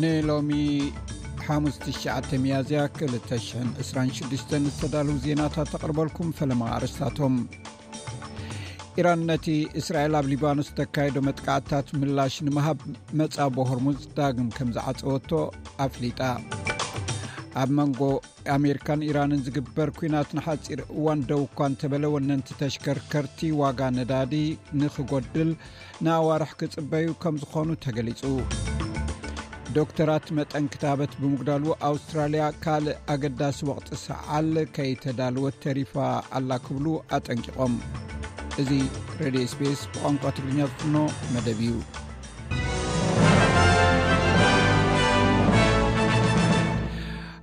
ንሎሚ ሓሙስ ትሽዓተ ሚያዝያ ክልተ ሽሕን ዕስራን ሽዱሽተን ዝተዳለዉ ዜናታት ተቕርበልኩም። ፈለማ ኣርእስታቶም። ኢራን ነቲ እስራኤል ኣብ ሊባኖስ ተካይዶ መጥቃዕትታት ምላሽ ንምሃብ መጻቦ ሆርሙዝ ዳግም ከም ዝዓጸወቶ ኣፍሊጣ። ኣብ መንጎ ኣሜሪካን ኢራንን ዝግበር ኲናት ንሓጺር እዋን ደው እኳ እንተበለ፣ ወነንቲ ተሽከርከርቲ ዋጋ ነዳዲ ንኽጎድል ንኣዋርሕ ክጽበዩ ከም ዝኾኑ ተገሊጹ። ዶክተራት መጠን ክታበት ብምጉዳሉ ኣውስትራልያ ካልእ ኣገዳሲ ወቕቲ ሰዓል ከይተዳለወት ተሪፋ ኣላ ክብሉ ኣጠንቂቖም። እዚ ሬድዮ ኤስቢኤስ ብቋንቋ ትግርኛ ዝፍኖ መደብ እዩ።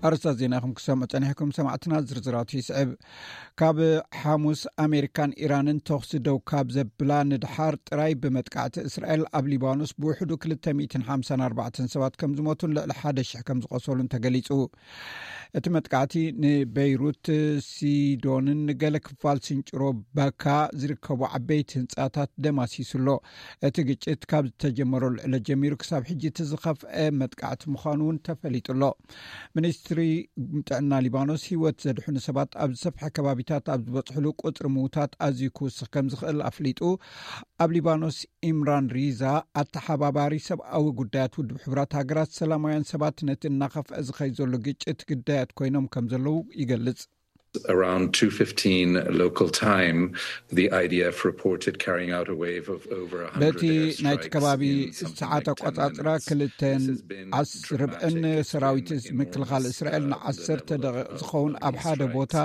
ኣርእስታት ዜና ኢኹም ክሰምዑ ጸኒሕኩም ሰማዕትና፣ ዝርዝራቱ ይስዕብ። ካብ ሓሙስ ኣሜሪካን ኢራንን ተኹሲ ደው ካብ ዘብላ ንድሓር ጥራይ ብመጥቃዕቲ እስራኤል ኣብ ሊባኖስ ብውሕዱ ክልተ ሚእትን ሓምሳን ኣርባዕተን ሰባት ከም ዝሞቱን ልዕሊ ሓደ ሽሕ ከም ዝቖሰሉን ተገሊጹ። እቲ መጥቃዕቲ ንበይሩት፣ ሲዶንን ገለ ክፋል ስንጭሮ በካ ዝርከቡ ዓበይቲ ህንጻታት ደማሲሱ ኣሎ። እቲ ግጭት ካብ ዝተጀመረሉ ዕለት ጀሚሩ ክሳብ ሕጂ እቲ ዝኸፍአ መጥቃዕቲ ምዃኑ እውን ተፈሊጡ ኣሎ። ሚኒስትሪ ጥዕና ሊባኖስ ህይወት ዘድሕኑ ሰባት ኣብ ዝሰፍሐ ከባቢታት ኣብ ዝበጽሕሉ ቁጽሪ ምዉታት ኣዝዩ ክውስኽ ከም ዝኽእል ኣፍሊጡ። ኣብ ሊባኖስ ኢምራን ሪዛ ኣተሓባባሪ ሰብኣዊ ጉዳያት ውድብ ሕቡራት ሃገራት ሰላማውያን ሰባት ነቲ እናኸፍአ ዝኸይድ ዘሎ ግጭት ግዳያት ኮይኖም ከም ዘለዉ ይገልጽ። Around two fifteen local time, the I D F reported carrying out a wave of over በቲ ናይቲ ከባቢ ሰዓት ኣቆጻጽራ ክልተን ዓስ ርብዕን ሰራዊት ምክልኻል እስራኤል ንዓሰርተ ደቂቕ ዝኸውን ኣብ ሓደ ቦታ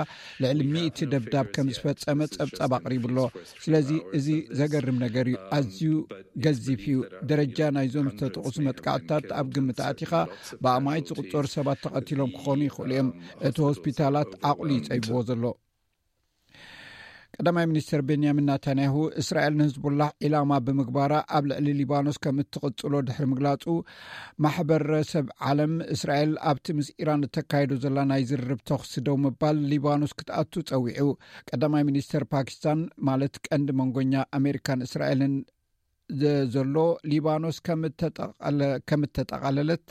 ልዕሊ ሚእቲ ደብዳብ ከም ዝፈጸመ ጸብጻብ ኣቕሪቡ ኣሎ። ስለዚ እዚ ዘገርም ነገር እዩ። ኣዝዩ ገዚፍ እዩ። ደረጃ ናይዞም ዝተጠቕሱ መጥቃዕትታት ኣብ ግምት ኣእቲኻ ብኣማኢት ዝቑጸሩ ሰባት ተቐቲሎም ክኾኑ ይኽእሉ እዮም። እቲ ሆስፒታላት ዓቕሉ ይጸይብዎ ዘሎ። ቀዳማይ ሚኒስትር ቤንያሚን ናታንያሁ እስራኤል ንህዝቡላህ ዒላማ ብምግባራ ኣብ ልዕሊ ሊባኖስ ከም እትቕጽሎ ድሕሪ ምግላጹ፣ ማሕበረሰብ ዓለም እስራኤል ኣብቲ ምስ ኢራን እተካይዶ ዘላ ናይ ዝርርብ ተኹሲ ደው ምባል ሊባኖስ ክትኣቱ ጸዊዑ። ቀዳማይ ሚኒስተር ፓኪስታን ማለት ቀንዲ መንጎኛ ኣሜሪካን እስራኤልን ዘ-፣ ዘሎ ሊባኖስ ከም እተጠቓለ-፣ ከም እተጠቓለለት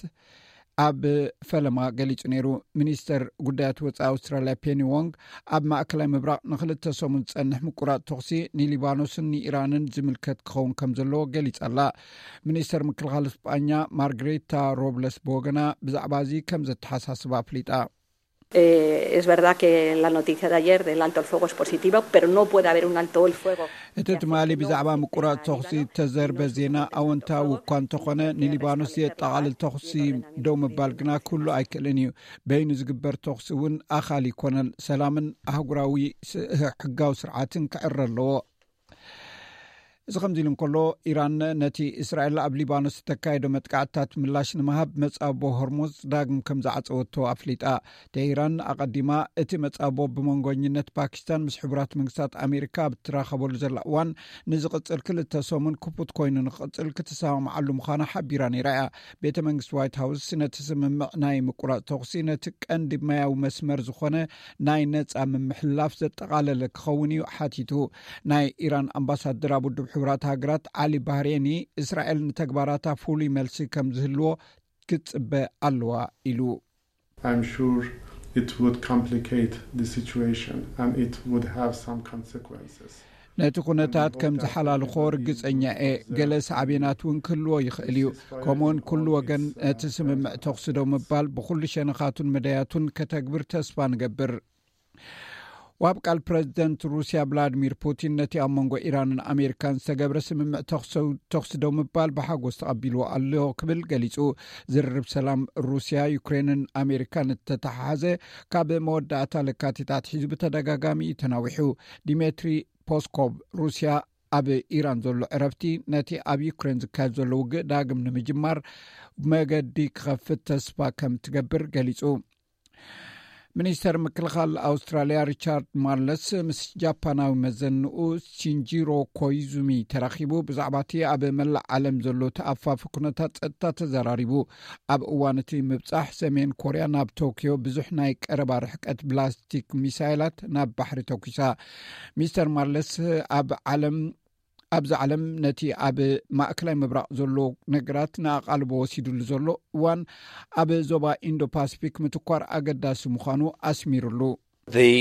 ኣብ ፈለማ ገሊጹ ነይሩ። ሚኒስተር ጉዳያት ወጻኢ ኣውስትራልያ ፔኒ ዎንግ ኣብ ማእከላይ ምብራቕ ንኽልተ ሰሙን ዝጸንሕ ምቁራጽ ተኹሲ ንሊባኖስን ንኢራንን ዝምልከት ክኸውን ከም ዘለዎ ገሊጻ ኣላ። ሚኒስተር ምክልኻል ስጳኛ ማርግሬታ ሮብለስ ብወገና ብዛዕባ እዚ ከም ዘተሓሳስባ ኣፍሊጣ። Eh, es verdad que la noticia de ayer del alto el fuego es positiva, pero no puede haber un alto el fuego. እቲ ትማሊ ብዛዕባ ምቁራጽ ተኹሲ እተዘርበ ዜና ኣወንታዊ እኳ እንተኾነ፣ ንሊባኖስ ዘጠቓልል ተኹሲ ደው ምባል ግና ኩሉ ኣይክእልን እዩ። በይኑ ዝግበር ተኹሲ እውን ኣኻሊ ኣይኮነን። ሰላምን ኣህጉራዊ ስ-፣ ሕጋዊ ስርዓትን ክዕረ ኣለዎ። እዚ ከምዚ ኢሉ እንከሎ፣ ኢራን ነቲ እስራኤል ኣብ ሊባኖስ እተካየዶ መጥቃዕትታት ምላሽ ንምሃብ መጻቦ ሆርሙዝ ዳግም ከም ዝዓጸወቶ ኣፍሊጣ። ቴህራን ኣቐዲማ እቲ መጻቦ ብመንጎኝነት ፓኪስታን ምስ ሕቡራት መንግስታት ኣሜሪካ ኣብ እትራኸበሉ ዘላ እዋን ንዝቕጽል ክልተ ሰሙን ክፉት ኮይኑ ንክቕጽል ክትሰማምዓሉ ምዃና ሓቢራ ነይራ እያ። ቤተ መንግስቲ ዋይት ሃውስ ነቲ ስምምዕ ናይ ምቁራጽ ተኹሲ ነቲ ቀንዲ ማያዊ መስመር ዝኾነ ናይ ነጻ ምምሕልላፍ ዘጠቓለለ ክኸውን እዩ ሓቲቱ። ናይ ኢራን ኣምባሳደር ኣብ ውድብ ሕቡራት ሃገራት ዓሊ ባህሬኒ፣ እስራኤል ንተግባራታ ፍሉይ መልሲ ከም ዝህልዎ ክትጽበ ኣለዋ ኢሉ። I'm sure it would complicate the situation and it would have some consequences. ነቲ ኩነታት ከም ዝሓላልኾ ርግጸኛ እየ። ገለ ሳዕቤናት እውን ክህልዎ ይኽእል እዩ። ከምኡውን ኩሉ ወገን ነቲ ስምምዕ ተኹሲ ደው ምባል ብኹሉ ሸነኻቱን መዳያቱን ከተግብር ተስፋ ንገብር። ዋብ ቃል ፕረዚደንት ሩስያ ቭላድሚር ፑቲን ነቲ ኣብ መንጎ ኢራንን ኣሜሪካን ዝተገብረ ስምምዕ ተኹሲ፣ ተኹሲ ደው ምባል ብሓጎስ ተቐቢልዎ ኣሎ ክብል ገሊጹ። ዝርርብ ሰላም ሩስያ፣ ዩክሬንን ኣሜሪካን እተተሓሓዘ ካብ መወዳእታ ለካቲት ኣትሒዙ ብተደጋጋሚ እዩ ተናዊሑ። ዲሜትሪ ፖስኮቭ ሩስያ ኣብ ኢራን ዘሎ ዕረፍቲ ነቲ ኣብ ዩክሬን ዝካየድ ዘሎ ውግእ ዳግም ንምጅማር መገዲ ክኸፍት ተስፋ ከም ትገብር ገሊጹ። ሚኒስተር ምክልኻል ኣውስትራልያ ሪቻርድ ማርለስ ምስ ጃፓናዊ መዘንኡ ሲንጂሮ ኮይዙሚ ተራኺቡ ብዛዕባ እቲ ኣብ መላእ ዓለም ዘሎ ተኣፋፊ ኩነታት ጸጥታ ተዘራሪቡ። ኣብ እዋን እቲ ምብጻሕ ሰሜን ኮርያ ናብ ቶክዮ ብዙሕ ናይ ቀረባ ርሕቀት ብላስቲክ ሚሳይላት ናብ ባሕሪ ተኩሳ። ሚስተር ማርለስ ኣብ ዓለም ኣብዚ ዓለም ነቲ ኣብ ማእከላይ ምብራቕ ዘሎ ነገራት ንኣቓልቦ ወሲዱሉ ዘሎ እዋን፣ ኣብ ዞባ ኢንዶ ፓሲፊክ ምትኳር ኣገዳሲ ምዃኑ ኣስሚሩሉ። The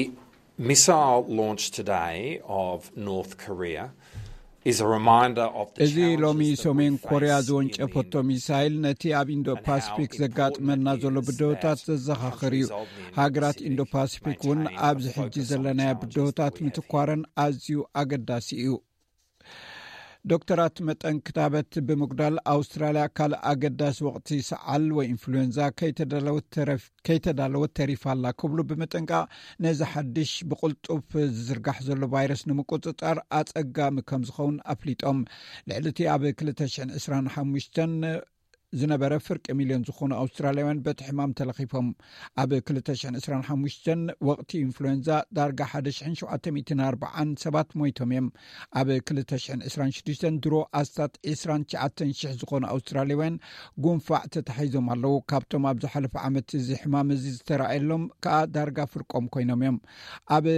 missile launch today of North Korea is a reminder of the እዚ challenges ሎሚ that we ሰሜን ኮርያ face in the ዘወንጨፈቶ ሚሳይል፣ ነቲ ኣብ ኢንዶ ፓሲፊክ ዘጋጥመና ዘሎ ብድሆታት ዘዘኻኽር እዩ። ሃገራት ኢንዶ ፓሲፊክ እውን ኣብዚ ሕጂ ዘለናዮ ብድሆታት ምትኳረን ኣዝዩ ኣገዳሲ እዩ። ዶክተራት መጠን ክታበት ብምጉዳል፣ ኣውስትራልያ ካልእ ኣገዳሲ ወቕቲ ሰዓል ወይ ኢንፍሉዌንዛ ከይተዳለወት ተረፍ-፣ ከይተዳለወት ተሪፋ ኣላ ክብሉ ብምጥንቃቕ፣ ነዚ ሓድሽ ብቕልጡፍ ዝዝርጋሕ ዘሎ ቫይረስ ንምቁጽጻር ኣጸጋሚ ከም ዝኸውን ኣፍሊጦም። ልዕሊ እቲ ኣብ ክልተ ሽሕን ዕስራን ሓሙሽተን ዝነበረ ፍርቂ ሚልዮን ዝኾኑ ኣውስትራልያውያን በቲ ሕማም ተለኺፎም። ኣብ ክልተ ሽሕን ዕስራን ሓሙሽተን ወቕቲ ኢንፍሉዌንዛ ዳርጋ ሓደ ሽሕን ሸውዓተ ሚእትን ኣርባዓን ሰባት ሞይቶም እዮም። ኣብ ክልተ ሽሕን ዕስራን ሽዱሽተን ድሮ ኣስታት ዕስራን ትሽዓተን ሽሕ ዝኾኑ ኣውስትራልያውያን ጉንፋዕ ተታሒዞም ኣለዉ። ካብቶም ኣብ ዝሓለፈ ዓመት እዚ ሕማም እዚ ዝተራእየሎም ከኣ ዳርጋ ፍርቆም ኮይኖም እዮም። ኣብ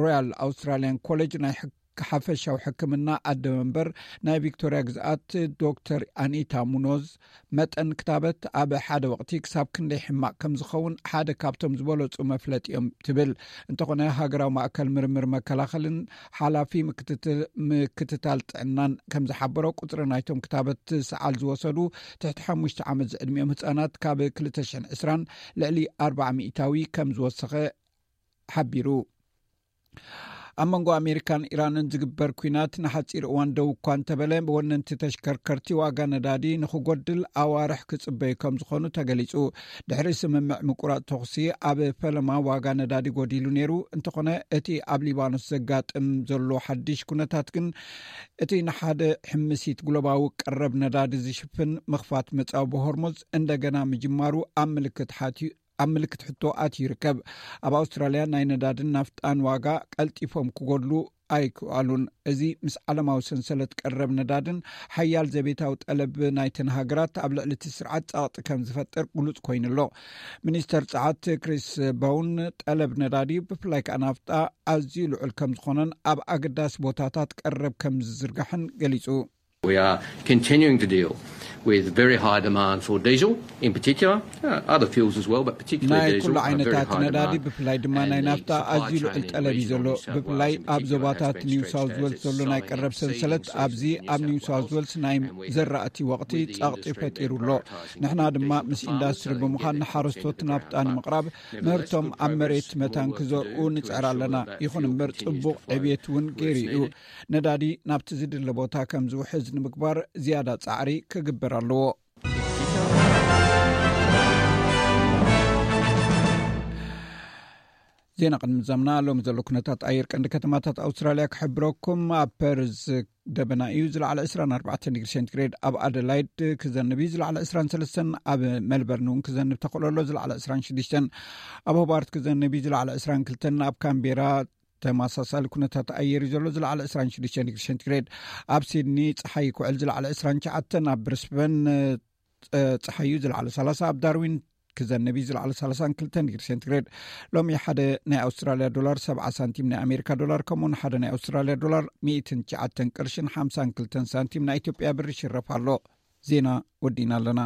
ሮያል ኣውስትራልያን ኮሌጅ ናይ ሕክ-፣ ሓፈሻዊ ሕክምና ኣደ መንበር ናይ ቪክቶርያ ግዝኣት ዶክተር ኣኒታ ሙኖዝ፣ መጠን ክታበት ኣብ ሓደ ወቕቲ ክሳብ ክንደይ ሕማቕ ከም ዝኸውን ሓደ ካብቶም ዝበለጹ መፍለጢ እዮም ትብል። እንተኾነ፣ ሃገራዊ ማእከል ምርምር መከላኸልን ሓላፊ ምክትት-፣ ምክትታል ጥዕናን ከም ዝሓበሮ፣ ቁጽሪ ናይቶም ክታበት ሰዓል ዝወሰዱ ትሕቲ ሓሙሽተ ዓመት ዝዕድሚኦም ህጻናት ካብ ክልተ ሽሕን ዕስራን ልዕሊ ኣርባዓ ሚእታዊ ከም ዝወሰኸ ሓቢሩ። ኣብ መንጎ ኣሜሪካን ኢራንን ዝግበር ኲናት ንሓጺር እዋን ደው እኳ እንተበለ፣ ወነንቲ ተሽከርከርቲ ዋጋ ነዳዲ ንኽጎድል ኣዋርሕ ክጽበዩ ከም ዝኾኑ ተገሊጹ። ድሕሪ ስምምዕ ምቁራጽ ተኹሲ ኣብ ፈለማ ዋጋ ነዳዲ ጎዲሉ ነይሩ። እንተኾነ፣ እቲ ኣብ ሊባኖስ ዘጋጥም ዘሎ ሓድሽ ኩነታት ግን እቲ ንሓደ ሕምሲት ግሎባዊ ቀረብ ነዳዲ ዝሽፍን ምኽፋት መጻወቢ ሆርሙዝ እንደገና ምጅማሩ ኣብ ምልክት ሓትዩ ኣብ ምልክት ሕቶ ኣትዩ ይርከብ። ኣብ ኣውስትራልያ ናይ ነዳድን ናፍጣን ዋጋ ቀልጢፎም ክጎድሉ ኣይክኣሉን። እዚ ምስ ዓለማዊ ሰንሰለት ቀረብ ነዳድን ሓያል ዘቤታዊ ጠለብ ናይተን ሃገራት ኣብ ልዕሊ እቲ ስርዓት ጸቕጢ ከም ዝፈጥር ግሉጽ ኮይኑ ኣሎ። ሚኒስተር ጸዓት ክሪስ ቦውን፣ ጠለብ ነዳዲ ብፍላይ ከኣ ናፍጣ ኣዝዩ ልዑል ከም ዝኾነን ኣብ ኣገዳሲ ቦታታት ቀረብ ከም ዝዝርጋሕን ገሊጹ። We are continuing to deal with very high demand for diesel in particular, uh, other fuels as well, but particularly ናይ diesel, ኩሉ uh, very ዓይነታት high ነዳዲ demand. ብፍላይ ድማ ናይ And the ናፍታ supply ኣዝዩ ልዑል chain in ጠለብ እዩ ዘሎ። regional New South ብፍላይ Wales in ኣብ particular has ዞባታት been ኒው stretched ሳውዝ as ዌልስ ዘሎ ናይ Australia's ቀረብ ሰንሰለት seasonal ኣብዚ ኣብ ኒው ሳውዝ ዌልስ ናይ ዘራእቲ ወቕቲ ጸቕጢ ፈጢሩ ኣሎ። ንሕና ድማ ምስ ኢንዳስትሪ ብምዃን ንሓረስቶት ናፍጣ ንምቕራብ ምህርቶም ኣብ መሬት መታን ክዘርኡ ንጽዕር ኣለና። ይኹን እምበር ጽቡቕ ዕብየት እውን ገይሩ እዩ። ነዳዲ ናብቲ ዝድለ ቦታ ከም ዝውሕዝ ንምግባር ዝያዳ ጻዕሪ ክግበር ኣለዎ። ዜና ቅድሚ ምዛምና ሎሚ ዘሎ ኩነታት ኣየር ቀንዲ ከተማታት ኣውስትራልያ ክሕብረኩም። ኣብ ፐርዝ ደበና እዩ፣ ዝለዓለ ዕስራን ኣርባዕተን ዲግሪ ሴንቲግሬድ። ኣብ ኣደላይድ ክዘንብ እዩ፣ ዝለዓለ ዕስራን ሰለስተን። ኣብ ሜልበርን እውን ክዘንብ ተኽእሎ ኣሎ፣ ዝለዓለ ዕስራን ሽዱሽተን። ኣብ ሆባርት ክዘንብ እዩ፣ ዝለዓለ ዕስራን ክልተን። ኣብ ካምቤራ ተመሳሳሊ ኩነታት ኣየር እዩ ዘሎ፣ ዝለዓለ ዕስራን ሽዱሽተን ዲግሪ ሴንቲግሬድ። ኣብ ሲድኒ ጸሓይ ክውዕል፣ ዝለዓለ ዕስራን ትሽዓተን። ኣብ ብሪስበን ጸ-፣ ጸሓዩ ዝለዓለ ሰላሳ። ኣብ ዳርዊን ክዘንብ እዩ፣ ዝለዓለ ሰላሳን ክልተን ዲግሪ ሴንቲግሬድ። ሎሚ ሓደ ናይ ኣውስትራልያ ዶላር ሰብዓ ሳንቲም ናይ ኣሜሪካ ዶላር፣ ከምኡውን ሓደ ናይ ኣውስትራልያ ዶላር ሚእትን ትሽዓተን ቅርሽን ሓምሳን ክልተን ሳንቲም ናይ ኢትዮጵያ ብር ይሽረፍ ኣሎ። ዜና ወዲእና ኣለና።